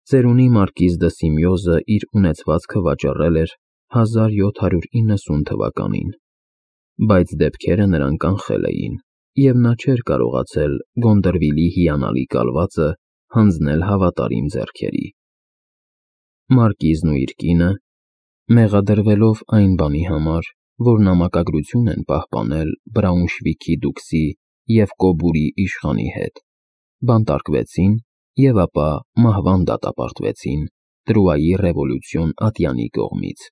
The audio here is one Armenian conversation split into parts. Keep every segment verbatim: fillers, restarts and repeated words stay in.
Ծերունի մարկիզ դը Սիմեոզը իր ունեցվածքը վաճառել էր հազար յոթ հարյուր իննսուն թվականին, բայց դեպքերը նրան կանխել էին, և նա չէր կարողացել Գոնդրվիլի հիանալի կալվածը հանձնել հավատարիմ ձեռքերի։ Մարկիզն ու իր կինը, մեղադրվելով այն բանի համար, որ նամակագրություն են պահպանել Բրաունշվիգի դուքսի և Կոբուրի իշխանի հետ, բանտարկվեցին և ապա մահվան դատապարտվեցին Տրուայի ռևոլյուցիոն ատյանի կողմից,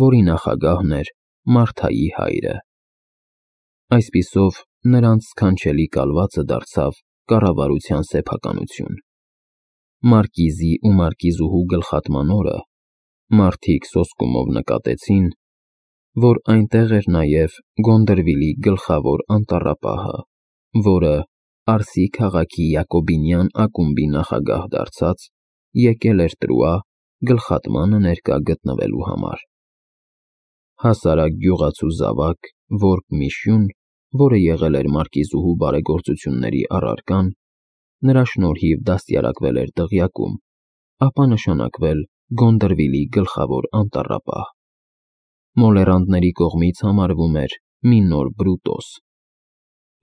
որի նախագահն էր Մարթայի հայրը։ Այսպիսով, նրանց սքանչելի կալվածը դարձավ կառավարության սեփականություն։ Մարկիզի ու մարկիզուհու գլխատման օրը մարդիկ սոսկումով նկատեցին, որ այնտեղ էր նաև Գոնդրվիլի գլխավոր անտառապահը, որը, Արսի քաղաքի Յակոբինյան ակումբի նախագահ դարձած, եկել էր Տրուա գլխատմանը ներկա գտնվելու համար։ Հասարակ գյուղացու զավակ, որբ Միշյուն, որը եղել էր մարկիզուհու բարեգործությունների առարկան, նրա շնորհիվ դաստիարակվել էր դղյակում, ապա նշանակվել Գոնդրվիլի գլխավոր անտառապահ։ Մոլեռանդների կողմից համարվում էր մի նոր Բրուտոս,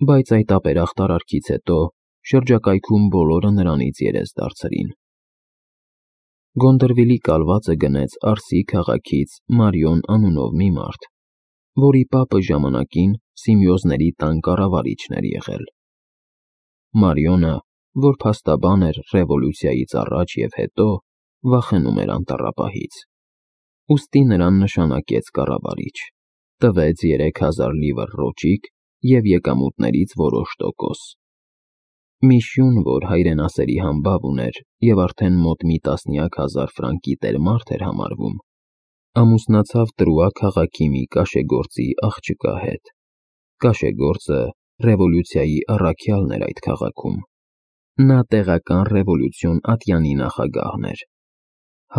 բայց այդ ապերախտ արարքից հետո շրջակայքում բոլորը նրանից երես դարձրին։ Գոնդրվիլի կալվածը գնեց Արսի քաղաքից Մարիոն անունով մի մարդ, որի պապը ժամանակին Սիմեոզների տան կառավարիչն էր եղել։ Մարիոնը, որ փաստաբան էր ռևոլյուցիայից առաջ և հետո, վախենում էր անտառապահից, ուստի նրան նշանակեց կառավարիչ, տվեց երեք հազար լիվր ռոճիկ և եկամուտներից որոշ տոկոս։ Միշյուն, որ հայրենասերի համբավ ուներ և արդեն մոտ մի տասնյակ հազար ֆրանկի տերմարդ էր համարվում, ամուսնացավ Տրուա քաղաքի մի կաշեգործի աղջկա հետ։ Կաշեգործը ռևոլյուցիայի առաքյալն էր այդ քաղաքում։ Նա տեղական ռևոլյուցիոն ատյանի նախագահն էր,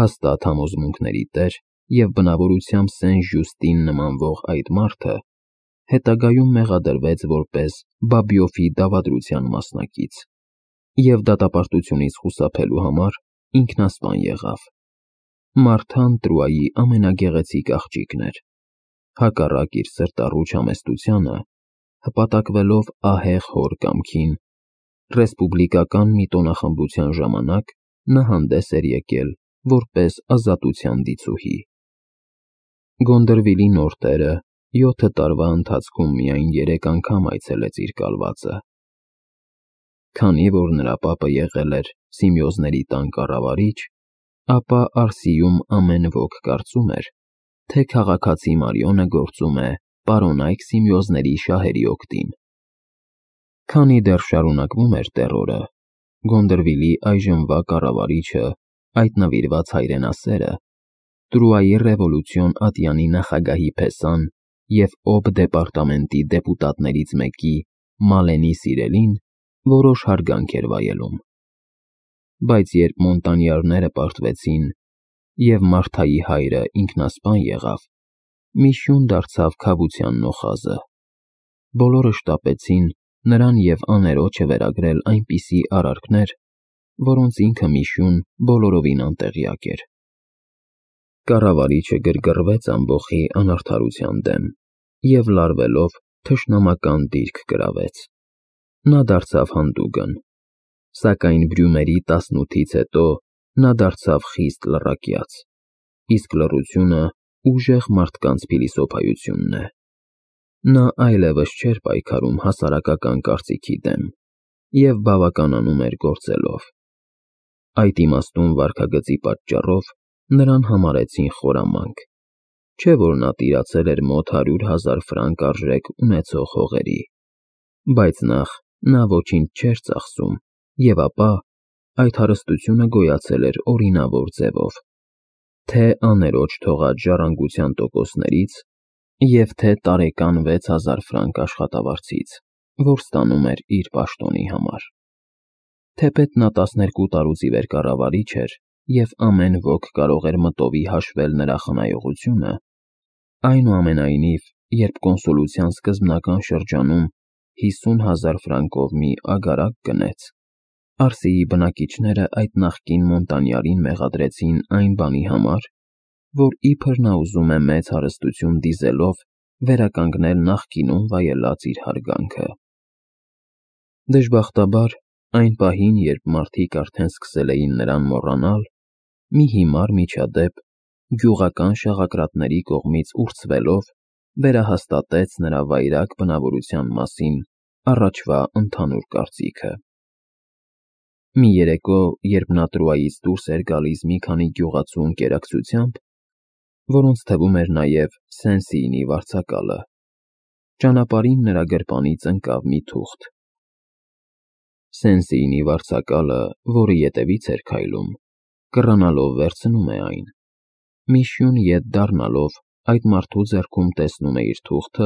հաստատ համոզմունքների տեր և բնավորությամբ Սեն-Ժյուստին նմանվող այդ մարդը հետագայում մեղադրվեց որպես Բաբիոֆի դավադրության մասնակից և դատապարտությունից խուսափելու համար ինքնասպան եղավ։ Մարթան Տրուայի ամենագեղեցիկ աղջիկն էր, հակառակ իր սրտառուչ համեստությանը, հպատակվելով ահեղ հոր կամքին, ռեսպուբլիկական մի տոնախմբության ժամանակ նա հանդես էր եկել որպես ազատության դիցուհի։ Գոնդրվիլի նոր տերը յոթ տարվա ընթացքում միայն երեք անգամ այցելեց իր կալվածը։ Քանի որ նրա պապը եղել էր Սիմեոզների տան կառավարիչ, ապա Արսիում ամեն ոք կարծում էր, թե քաղաքացի Մարիոնը գործում է պարոնայք Սիմեոզների շահերի օգտին։ Քանի դեռ շարունակվում էր տեռորը, Գոնդրվիլի այժմվա կառավարիչը, այդ նվիրված հայրենասերը, Տրուայի ռևոլյուցիոն ատյանի նախագահի փեսան և Օբ դեպարտամենտի դեպուտատներից մեկի Մալենի սիրելին որոշ հարգանք էր վայելում։ Բայց երբ Մոնտանյարները պարտվեցին, և Մարթայի հայրը ինքնասպան եղավ, Միշյուն դարձավ քավության նոխազը։ Բոլորը շտապեցին նրան և աներոջը վերագրել այնպիսի արարքներ, որոնց ինքը Միշյուն բոլորովին անտեղյակ էր։ Կառավարիչը գրգռվեց ամբոխի անարդարության դեմ և լարվելով թշնամական դիրք կրավեց։ Նա դարձավ հանդուգն, սակայն Բրյումերի տասնութից հետո նա դարձավ խիստ լռակյաց, իսկ լռությունը ուժեղ մարդկանց փիլիսոփայությունն է։ Նա այլևս չէր պայքարում հասարակական կարծիքի դեմ և բավականանում էր գործելով։ Այդ իմաստուն վարքագծի պատճառով նրան համարեցին խորամանկ, չէ՞ որ նա տիրացել էր մոտ հարյուր հազար ֆրանկ արժեք ունեցող հողերի։ Բայց նախ նա ոչինչ չէր ծախսում և ապա այդ հարստությունը գոյացել էր օրինավոր ձևով, թե աներոջ թողած ժառանգության տոկոսներից և թե տարեկան վեց հազար ֆրանկ աշխատավարձից, որ ստանում էր իր պաշտոնի համար։ Թեպետ նա տասներկու տարուց ի վեր կառավարիչ էր և ամեն ոք կարող էր մտովի հաշվել նրա խնայողությունը, այնուամենայնիվ, երբ կոնսուլության սկզբնական շրջանում հիսուն հազար ֆրանկով մի ագարակ գնեց, Արսիի բնակիչները այդ նախկին Մոնտանյարին մեղադրեցին այն բանի համար, որ իբր նա ուզում է մեծ հարստություն դիզելով վերականգնել նախկինում վայելած իր հարգանքը։ Դժբախտաբար, այն պահին, երբ մարդիկ արդեն սկսել էին նրան մոռանալ, մի հիմար միջադեպ, գյուղական շաղակրատների կողմից ուրցվելով, վերահաստատեց նրա վայրագ բնավորության մասին առաջվա ընդհանուր կարծիքը։ Մի երեկո, երբ նա Տրուայից դուրս էր գալիս մի քանի գյուղացու ընկերակցությամբ, որոնց թվում էր նաև Սեն-Սիինի վարձակալը, ճանապարհին նրա գրպանից ընկավ մի թուղթ։ Սեն-Սիինի վարձակալը, որը ետևից էր քայլում, կռանալով վերցնում է այն, Միշյուն ետ դառնալով այդ մարդու ձեռքում տեսնում է իր թուղթը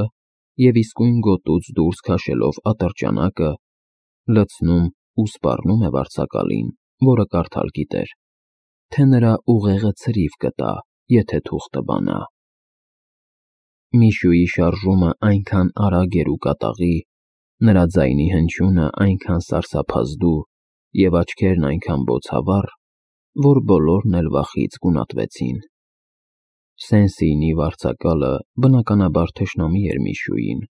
և իսկույն գոտուց դուրս քաշելով ատրճանակը, լցնում ու սպառնում է վարձակալին, որը կարդալ գիտեր, թե նրա ուղեղը ցրիվ կտա, եթե թուղթը բանա։ Միշյուի շարժումը այնքան արագ էր ու կատաղի, նրա ձայնի հնչյունը այնքան սարսափազդու և աչքերն այնքան բոցավառ, որ բոլորն էլ վախից գունատվեցին։ Սեն-Սիինի վարձակալը բնականաբար թշնամի էր Միշյուին։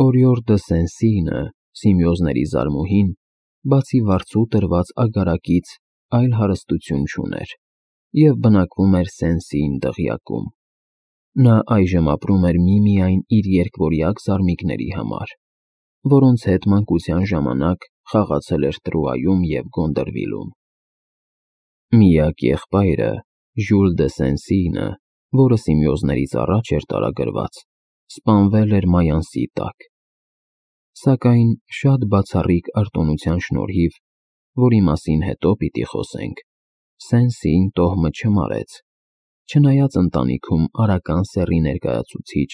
Օրիոր դը Սեն-Սիինը, Սիմեոզների զարմուհին, բացի վարձու տրված ագարակից այլ հարստություն չուներ և բնակվում էր Սեն-Սիին դղյակում։ Նա այժմ ապրում էր միմիայն իր երկվորյակ զարմիկների համար, որոնց հետ մանկության ժամանակ խաղացել էր Տրուայում և Գոնդրվիլում։ Միակ եղբայրը՝ Ժյուլ դը Սեն-Սիինը, որը Սիմեոզներից առաջ էր տարագրված, սպանվել էր Մայանսի տակ։ Սակայն շատ բացառիկ արտոնության շնորհիվ, որի մասին հետո պիտի խոսենք, Սեն-Սիին տոհմը չմարեց, չնայած ընտանիքում արական սեռի ներկայացուցիչ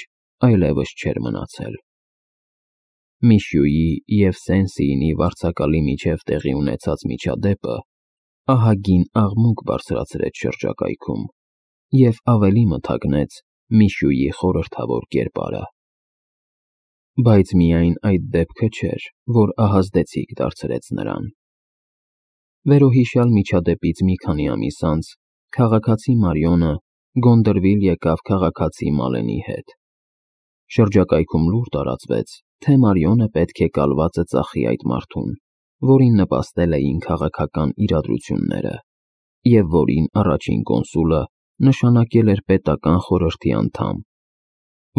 այլևս չէր մնացել։ Միշյուի և Սեն-Սիինի վարձակալի միջև տեղի ունեցած միջադեպը ահագին աղմուկ բարձրացրեց շրջակայքում և ավելի մթագնեց Միշյուի խորհրդավոր կերպարը։ Բայց միայն այդ դեպքը չէր, որ ահազդեցիկ դարձրեց նրան։ Վերոհիշյալ միջադեպից մի քանի ամիս անց քաղաքացի Մարիոնը Գոնդրվիլ եկավ քաղաքացի Մալենի հետ։ Շրջակայքում լուր տարածվեց, թե Մարիոնը պետք է կալվածը ծախի այդ մարդուն, որին նպաստել էին քաղաքական իրադրությունները, և որին առաջին կոնսուլը նշանակել էր պետական խորհրդի անդամ,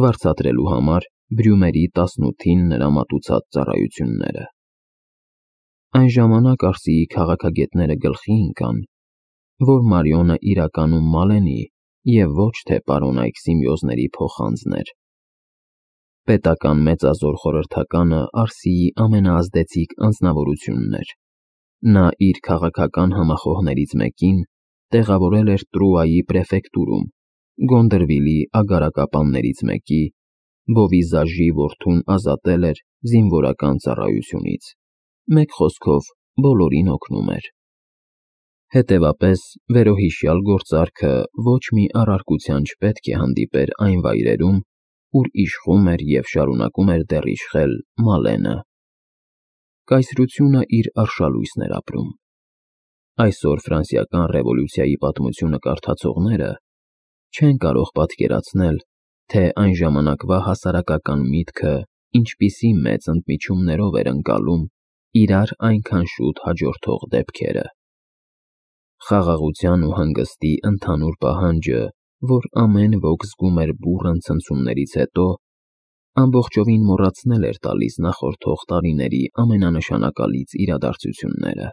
վարձատրելու համար Բրյումերի տասնութին նրա մատուցած ծառայությունները։ Այն ժամանակ Արսիի քաղաքագետները գլխի ընկան, որ Մարիոնը իրականում Մալենի և ոչ թե պարոնայք Սիմեոզների փոխանձն էր։ Պետական մեծազոր խորհրդականը Արսիի ամենաազդեցիկ անձնավորությունն էր։ Նա իր քաղաքական համախոհներից մեկին տեղավորել էր Տրուայի պրեֆեկտուրում, Գոնդրվիլի ագարակապաններից մեկի, Բովիզաժի որդուն ազատել էր զինվորական ծառայությունից, մեկ խոսքով բոլորին օգնում էր։ Հետևաբար, վերոհիշյալ գործարքը ոչ մի առարկության չպետք է հանդիպեր այն վայրերում, ուր իշխում էր և շարունակում էր դեռ իշխել Մալենը։ Կայսրությունը իր արշալույսն էր ապրում։ Այսօր Ֆրանսիական ռևոլյուցիայի պատմությունը կարդացողները չեն կարող պատկերացնել, թե այն ժամանակվա հասարակական միտքը ինչպիսի մեծ ընդմիջումներով էր ընկալում իրար այնքան շուտ հաջորդող դեպքերը։ Խաղաղության ու հանգստի ընդհանուր պահանջը, որ ամեն ոք զգում էր բուռն ցնցումներից հետո, ամբողջովին մոռացնել էր տալիս նախորդող տարիների ամենանշանակալից իրադարձությունները։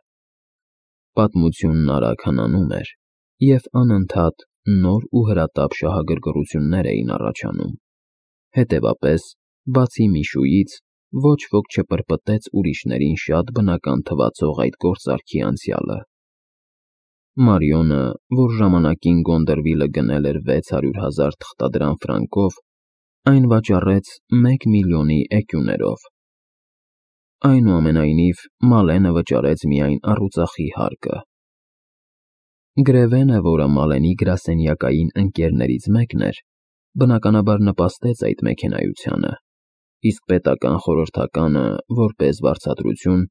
Պատմությունն արագ հնանում էր, և անընդհատ նոր ու հրատապ շահագրգռություններ էին առաջանում։ Հետևաբար, բացի Միշուից, ոչ ոք չպրպտեց ուրիշներին շատ բնական թվացող այդ գործարքի անցյալը։ Մարիոնը, որ ժամանակին Գոնդրվիլը գնել էր վեց հարյուր հազար թղթադրամ ֆրանկով, այն վաճառեց մեկ միլիոնի էկյուներով։ Այնուամենայնիվ, Մալենը վճարեց միայն առուծախի հարկը։ Գրևենը, որը Մալենի գրասենյակային ընկերներից մեկն էր, բնականաբար նպաստեց այդ մեքենայությանը, իսկ պետական խորհրդականը, որպես վարձատրություն,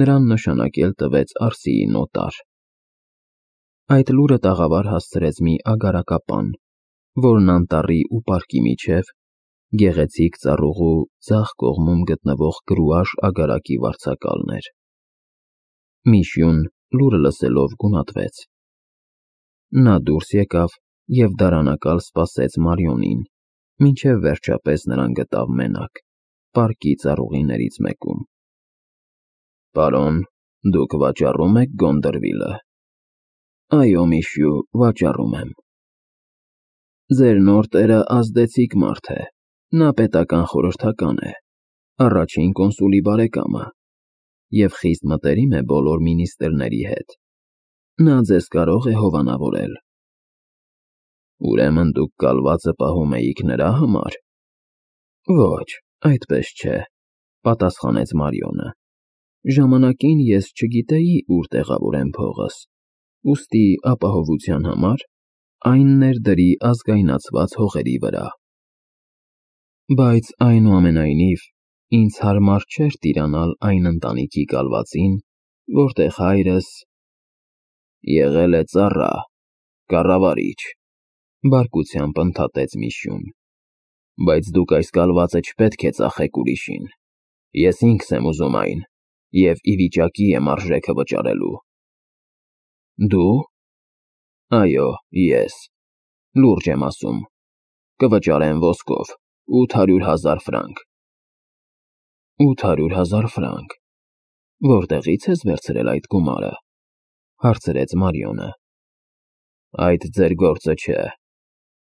նրան նշանակել տվեց Արսիի նոտար։ Այդ լուրը տաղավար հասցրեց մի ագարակապան, որն անտառի ու պարկի միջև, գեղեցիկ ծառուղու ձախ կողմում գտնվող Գրուաշ ագարակի վարձակալն էր։ Միշյուն լուրը լսելով գունատվեց։ Նա դուրս եկավ և դարանակալ սպասեց Մարիոնին, մինչև վերջապես նրան գտավ մենակ, պարկի ծառուղիներից մեկում։ Պարոն, դուք վաճառում եք Գոնդրվիլը։ Այո, Միշյու, վաճառում եմ։ Ձեր նոր տերը ազդեցիկ մարդ է, նա պետական խորհրդական է, առաջին կոնսուլի բարեկամը, և խիստ մտերիմ է բոլոր մինիստրների հետ։ Նա ձեզ կարող է հովանավորել։ Ուրեմն դուք կալվածը պահում էիք նրա համար։ Ոչ, այդպես չէ, պատասխանեց Մարիոնը։ Ժամանակին ես չգիտեի ուր տեղավորեմ փողս, ուստի ապահովության համար այն ներդրի ազգայնացված հողերի վրա։ Բայց այնուամենայնիվ ինձ հարմար չէր տիրանալ այն ընտանիքի կալվածին, որտեղ հայրս… եղել է ծառա, կառավարիչ, բարկությամբ ընդհատեց Միշյուն։ Բայց դուք այս կալվածը չպետք է ծախեք ուրիշին, ես ինքս եմ ուզում այն և ի վիճակի եմ արժեքը վճարելու։ Դու։ Այո, ես, լուրջ եմ ասում, կվճարեմ ոսկով, ութ հարյուր հազար ֆրանկ։ Ութ հարյուր հազար ֆրանկ, որտեղի՞ց ես վերցրել այդ գումարը, հարցրեց Մարիոնը։ Այդ ձեր գործը չէ,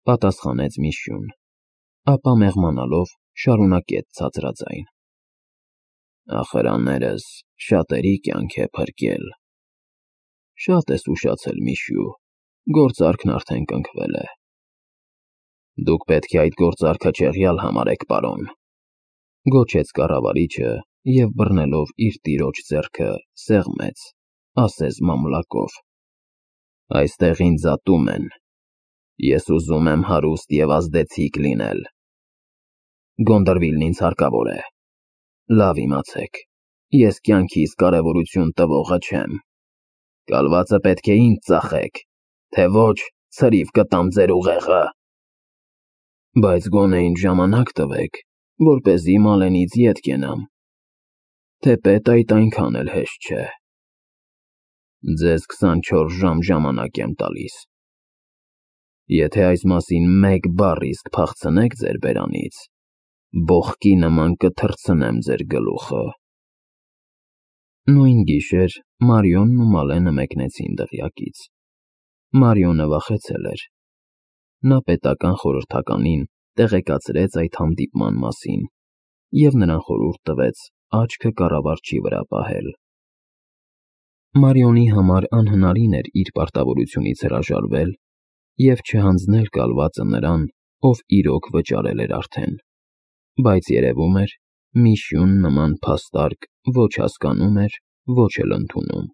պատասխանեց Միշյուն, ապա մեղմանալով շարունակեց ցածրաձայն. Ախրաններս շատերի կյանք է փրկել։ Շատ ես ուշացել, Միշյու, գործարքն արդեն կնքվել է։ Դուք պետք է այդ գործարքը չեղյալ համարեք, պարոն, գոչեց կառավարիչը և բռնելով իր տիրոջ ձեռքը սեղմեց, ասես մամլակով. Այստեղ ինձ ատում են, ես ուզում եմ հարուստ և ազդեցիկ լինել։ Գոնդրվիլն ինձ հարկավոր է։ Լավ իմացեք, ես կյանքիս կարևորություն տվողը չեմ։ Կալվածը պետք է ինձ ծախեք, թե ոչ ցրիվ կտամ ձեր ուղեղը։ Բայց գոնե ինձ ժամանակ տվեք, որպեսզի Մալենից ետ կենամ, թեպետ այդ այնքան էլ հեշտ չէ։ Ձեզ քսանչորս ժամ ժամանակ եմ տալիս։ Եթե այս մասին մեկ բառ իսկ փախցնեք ձեր բերանից, բոխկի նման կթռցնեմ ձեր գլուխը։ Նույն գիշեր Մարիոնն ու Մալենը մեկնեցին դղյակից։ Մարիոնը վախեցել էր։ Նա պետական խորհրդականին տեղեկացրեց այդ հանդիպման մասին և նրան խորհուրդ տվեց աչքը կառավարչի վրա պահել։ Մարիոնի համար անհնարին էր իր պարտավորությունից հրաժարվել և չհանձնել կալվածը նրան, ով իրոք վճարել էր արդեն, բայց երևում էր, Միշյուն նման փաստարկ ոչ հասկանում էր, ոչ էլ ընդունում։